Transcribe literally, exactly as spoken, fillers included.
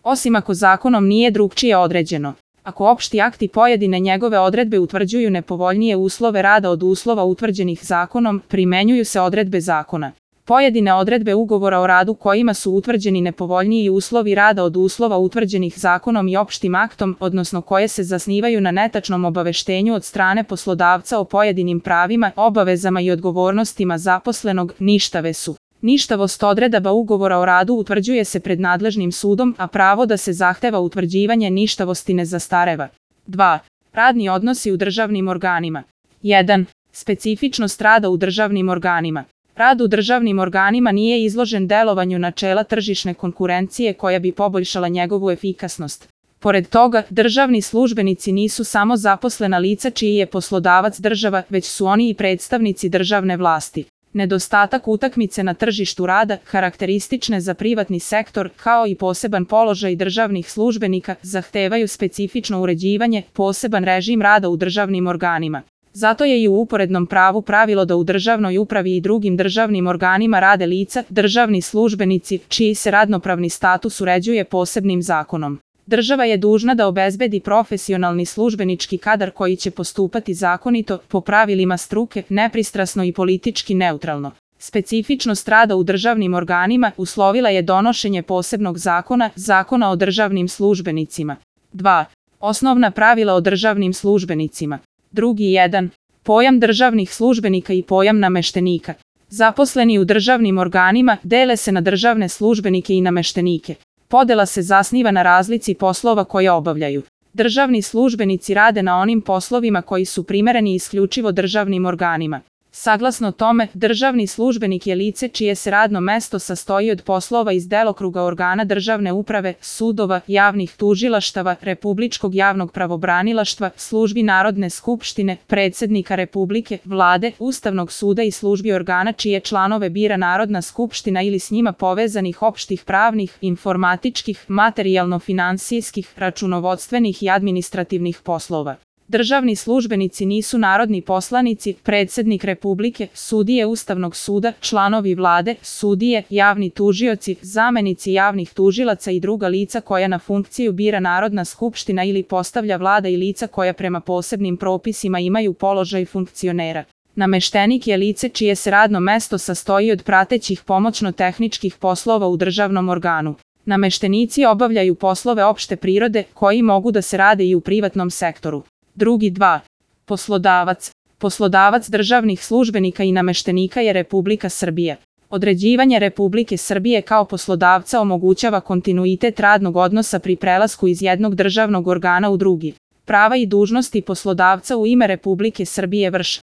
osim ako zakonom nije drugčije određeno. Ako opšti akti pojedine njegove odredbe utvrđuju nepovoljnije uslove rada od uslova utvrđenih zakonom, primenjuju se odredbe zakona. Pojedine odredbe ugovora o radu kojima su utvrđeni nepovoljniji uslovi rada od uslova utvrđenih zakonom i opštim aktom, odnosno koje se zasnivaju na netačnom obaveštenju od strane poslodavca o pojedinim pravima, obavezama i odgovornostima zaposlenog, ništave su. Ništavost odredaba ugovora o radu utvrđuje se pred nadležnim sudom, a pravo da se zahteva utvrđivanje ništavosti ne zastareva. dva. Radni odnosi u državnim organima. jedan. Specifičnost rada u državnim organima. Rad u državnim organima nije izložen delovanju načela tržišne konkurencije koja bi poboljšala njegovu efikasnost. Pored toga, državni službenici nisu samo zaposlena lica čiji je poslodavac država, već su oni i predstavnici državne vlasti. Nedostatak utakmice na tržištu rada, karakteristične za privatni sektor, kao i poseban položaj državnih službenika, zahtevaju specifično uređivanje, poseban režim rada u državnim organima. Zato je i u uporednom pravu pravilo da u državnoj upravi i drugim državnim organima rade lica, državni službenici, čiji se radnopravni status uređuje posebnim zakonom. Država je dužna da obezbedi profesionalni službenički kadar koji će postupati zakonito, po pravilima struke, nepristrasno i politički neutralno. Specifičnost rada u državnim organima uslovila je donošenje posebnog zakona, Zakona o državnim službenicima. dva. Osnovna pravila o državnim službenicima. Drugi jedan. Pojam državnih službenika i pojam nameštenika. Zaposleni u državnim organima dele se na državne službenike i nameštenike. Podela se zasniva na razlici poslova koje obavljaju. Državni službenici rade na onim poslovima koji su primereni isključivo državnim organima. Saglasno tome, državni službenik je lice čije se radno mesto sastoji od poslova iz delokruga organa državne uprave, sudova, javnih tužilaštava, republičkog javnog pravobranilaštva, službi Narodne skupštine, predsednika Republike, Vlade, Ustavnog suda i službi organa čije članove bira Narodna skupština ili s njima povezanih opštih pravnih, informatičkih, materijalno-finansijskih, računovodstvenih i administrativnih poslova. Državni službenici nisu narodni poslanici, predsednik Republike, sudije Ustavnog suda, članovi vlade, sudije, javni tužioci, zamenici javnih tužilaca i druga lica koja na funkciju bira Narodna skupština ili postavlja vlada i lica koja prema posebnim propisima imaju položaj funkcionera. Nameštenik je lice čije se radno mesto sastoji od pratećih pomoćno-tehničkih poslova u državnom organu. Nameštenici obavljaju poslove opšte prirode koji mogu da se rade i u privatnom sektoru. Drugi dva. Poslodavac. Poslodavac državnih službenika i nameštenika je Republika Srbija. Određivanje Republike Srbije kao poslodavca omogućava kontinuitet radnog odnosa pri prelasku iz jednog državnog organa u drugi. Prava i dužnosti poslodavca u ime Republike Srbije vrše